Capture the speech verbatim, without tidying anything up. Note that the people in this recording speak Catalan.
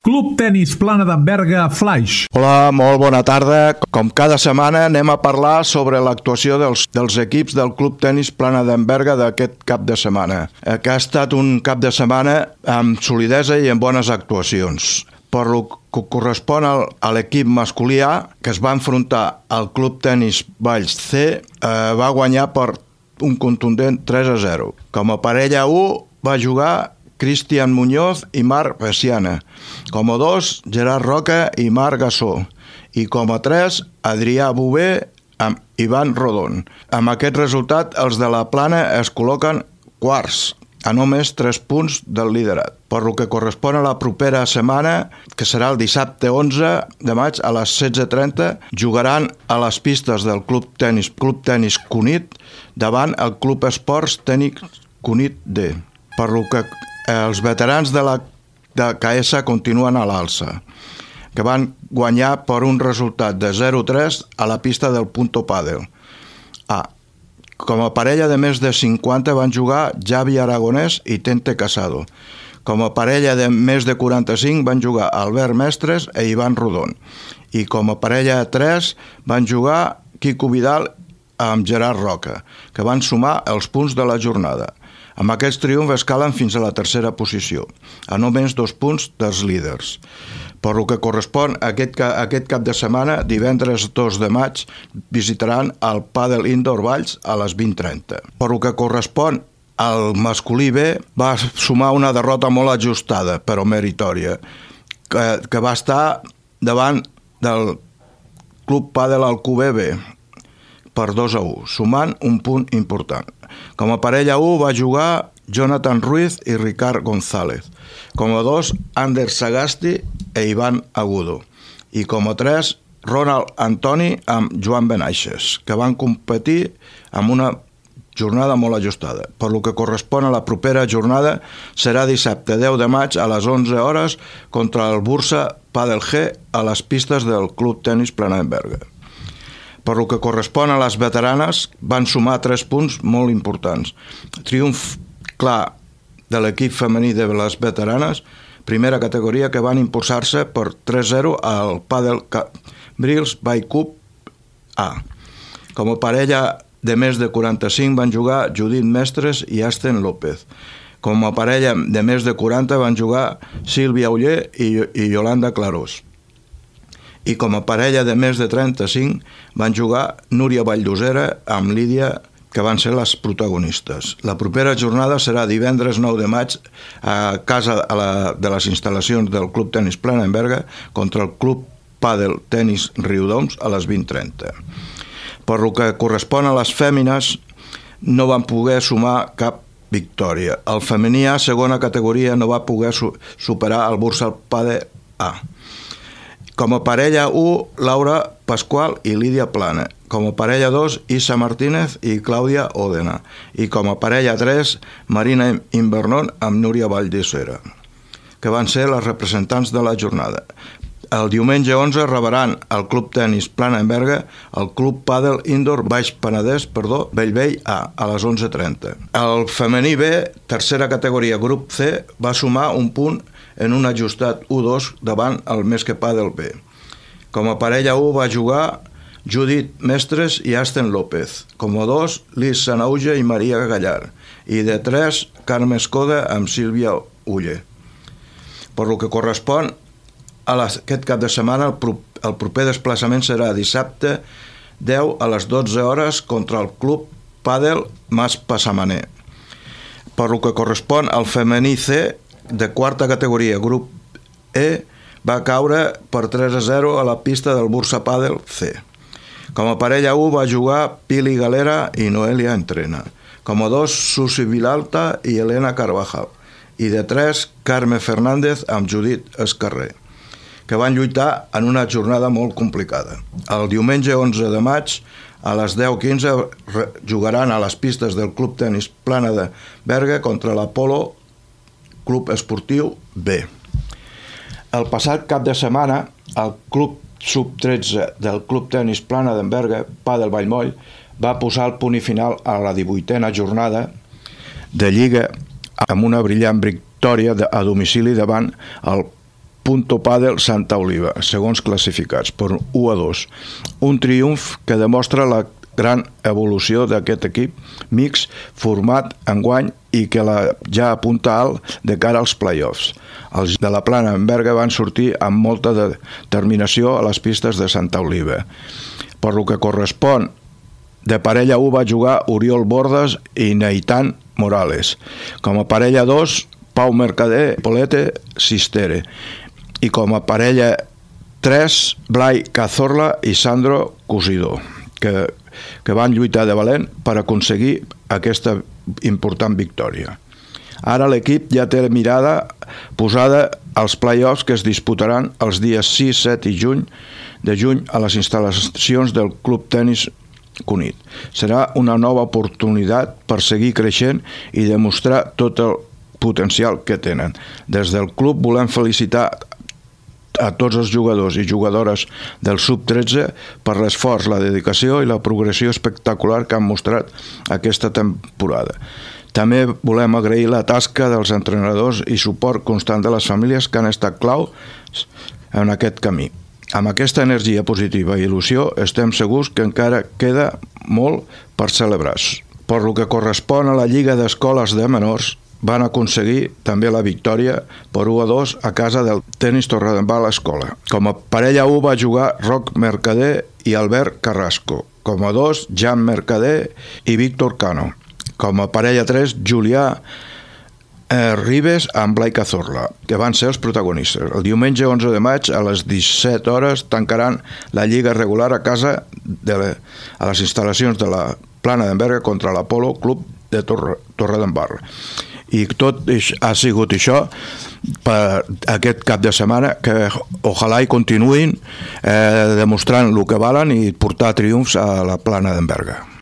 Club Tenis Plana d'en Berga Flaix. Hola, molt bona tarda. Com cada setmana anem a parlar sobre l'actuació dels, dels equips del Club Tenis Plana d'en Berga d'aquest cap de setmana, que ha estat un cap de setmana amb solidesa i amb bones actuacions. Per lo que correspon al, a l'equip masculí A, que es va enfrontar al Club Tenis Valls C, eh, va guanyar per un contundent tres a zero. Com a parella u va jugar Cristian Muñoz i Marc Veciana. Com a dos, Gerard Roca i Marc Gassó. I com a tres, Adrià Bové amb Ivan Rodon. Amb aquest resultat, els de la Plana es col·loquen quarts, a només tres punts del liderat. Per lo que correspon a la propera setmana, que serà el dissabte onze de maig a les setze trenta, jugaran a les pistes del Club Tenis, Club Tenis Cunit davant el Club Esports Tenis Cunit D. Per lo que els veterans de la de K S continuen a l'alça, que van guanyar per un resultat de zero a tres a la pista del Punto Padel. A. Com a parella de més de cinquanta van jugar Javi Aragonès i Tente Casado. Com a parella de més de quaranta-cinc van jugar Albert Mestres i Ivan Rodon. I com a parella de tres van jugar Quico Vidal amb Gerard Roca, que van sumar els punts de la jornada. Amb aquests triomfs escalen fins a la tercera posició, a només dos punts dels líders. Per lo que correspon a aquest, a aquest cap de setmana, divendres dos de maig, visitaran el Padel Indoor Valls a les vint trenta. Per lo que correspon al masculí B, va sumar una derrota molt ajustada, però meritòria, que, que va estar davant del Club Padel Alcover B, per dos a u, sumant un punt important. Com a parella u va jugar Jonathan Ruiz i Ricard González. Com a dos, Ander Sagasti i Ivan Agudo. I com a tres, Ronald Antoni amb Joan Benaixes, que van competir amb una jornada molt ajustada. Per lo que correspon a la propera jornada, serà dissabte deu de maig a les onze hores contra el Bursa Padel G a les pistes del Club Tenis Plana d'en Berga. Per lo que correspon a les veteranes, van sumar tres punts molt importants. Triomf clar de l'equip femení de les veteranes, primera categoria, que van impulsar-se per tres a zero al Padel Cambrils by Cup A. Com a parella de més de quaranta-cinc van jugar Judit Mestres i Asten López. Com a parella de més de quaranta van jugar Sílvia Uller i, i Yolanda Clarós. I com a parella de més de trenta-cinc van jugar Núria Valldosera amb Lídia, que van ser les protagonistes. La propera jornada serà divendres nou de maig a casa a la, de les instal·lacions del Club Tenis Plana d'en Berga contra el Club Padel Tenis Riudoms a les vint trenta. Per lo que correspon a les fèmines, no van poder sumar cap victòria. El femení A, segona categoria, no va poder su- superar el Bursa Padel A. Com a parella u, Laura Pasqual i Lídia Plana. Com a parella dos, Isa Martínez i Clàudia Òdena. I com a parella tres, Marina Invernón amb Núria Valldosera, que van ser les representants de la jornada. El diumenge onze rebaran al Club Tenis Plana d'en Berga el Club Padel Indoor Baix Penedès, perdó, Bellvei A, a les onze trenta. El femení B, tercera categoria, grup C, va sumar un punt en un ajustat u dos davant el Mesque Padel B. Com a parella u va jugar Judit Mestres i Asten López. Com a dos, Lis Sanauja i Maria Gallar. I de tres, Carme Escoda amb Sílvia Uller. Per lo que correspon a les, aquest cap de setmana, el, pro, el proper desplaçament serà dissabte deu a les dotze hores contra el Club Padel Mas Passamaner. Per lo que correspon al femení C, de quarta categoria, grup E, va caure per tres a zero a la pista del Bursa Padel C. Com a parella u va jugar Pili Galera i Noelia Entrena. Com a dos, Susi Vilalta i Elena Carvajal. I de tres, Carme Fernández amb Judit Escarrer, que van lluitar en una jornada molt complicada. El diumenge onze de maig, a les deu quinze, jugaran a les pistes del Club Tenis Plana de Berga contra l'Apolo Club Esportiu B. El passat cap de setmana, el Club sub tretze del Club Tenis Plana d'en Berga, Padel Vallmoll, va posar el punt final a la divuitena jornada de Lliga amb una brillant victòria a domicili davant el Punto Padel Santa Oliva, segons classificats, per u a dos. Un triomf que demostra la gran evolució d'aquest equip mix format enguany i que la ja apunta alt de cara als play-offs. Els de la Plana d'Enberga van sortir amb molta determinació a les pistes de Santa Oliva. Per lo que correspon, de parella u va jugar Oriol Bordes i Neitan Morales. Com a parella dos, Pau Mercader, Polete Sistere. I com a parella tres, Blai Cazorla i Sandro Cusidó, que, que van lluitar de valent per aconseguir aquesta important victòria. Ara l'equip ja té la mirada posada als play-offs que es disputaran els dies sis, set i juny de juny a les instal·lacions del Club Tenis Cunit. Serà una nova oportunitat per seguir creixent i demostrar tot el potencial que tenen. Des del club volem felicitar a tots els jugadors i jugadores del sub tretze per l'esforç, la dedicació i la progressió espectacular que han mostrat aquesta temporada. També volem agrair la tasca dels entrenadors i suport constant de les famílies que han estat clau en aquest camí. Amb aquesta energia positiva i il·lusió estem segurs que encara queda molt per celebrar. Per lo que correspon a la Lliga d'Escoles de Menors, van aconseguir també la victòria per u a dos a casa del Tenis Torredembarra Escola. Com a parella u va jugar Roc Mercader i Albert Carrasco. Com a dos, Jan Mercader i Víctor Cano. Com a parella tres, Julià eh, Ribes amb Blai Cazorla, que van ser els protagonistes. El diumenge onze de maig a les disset hores tancaran la lliga regular a casa de la, a les instal·lacions de la Plana d'Enberga contra l'Apolo Club de Torre, Torredembarra. I tot ha sigut això per aquest cap de setmana, que ojalà hi continuïn eh, demostrant el que valen i portar triomfs a la Plana d'Enberga.